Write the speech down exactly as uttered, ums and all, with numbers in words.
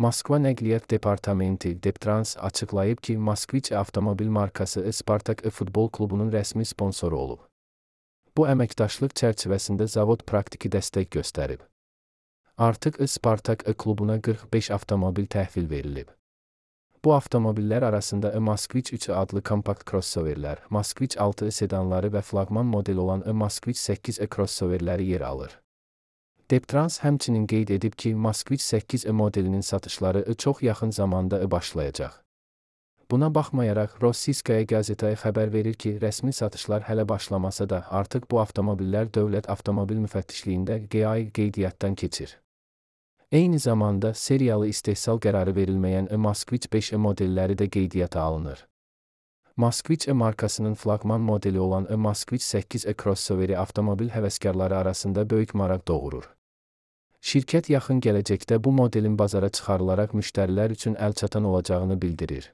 Moskva Nəqliyyat Departamenti Deptrans açıqlayıb ki, Moskviç avtomobil markası Spartak futbol klubunun rəsmi sponsoru olub. Bu əməkdaşlıq çərçivəsində zavod praktiki dəstək göstərib. Artıq Spartak klubuna qırx beş avtomobil təhvil verilib. Bu avtomobillər arasında Moskviç üç adlı kompakt crossoverlər, Moskviç altı sedanları və flaqman model olan Moskviç səkkiz crossoverləri yer alır. Deptrans həmçinin qeyd edib ki, Moskviç səkkiz modelinin satışları çox yaxın zamanda başlayacaq. Buna baxmayaraq, Rossiyskaya qəzetaya xəbər verir ki, rəsmi satışlar hələ başlamasa da, artıq bu avtomobillər dövlət avtomobil müfəttişliyində G A I qeydiyyatdan keçir. Eyni zamanda, seriyalı istehsal qərarı verilməyən Moskviç beş modelləri də qeydiyyata alınır. Moskviç markasının flaqman modeli olan Moskviç səkkiz crossoveri avtomobil həvəskarları arasında böyük maraq doğurur. Şirkət yaxın gələcəkdə bu modelin bazara çıxarılaraq müştərilər üçün əlçatan olacağını bildirir.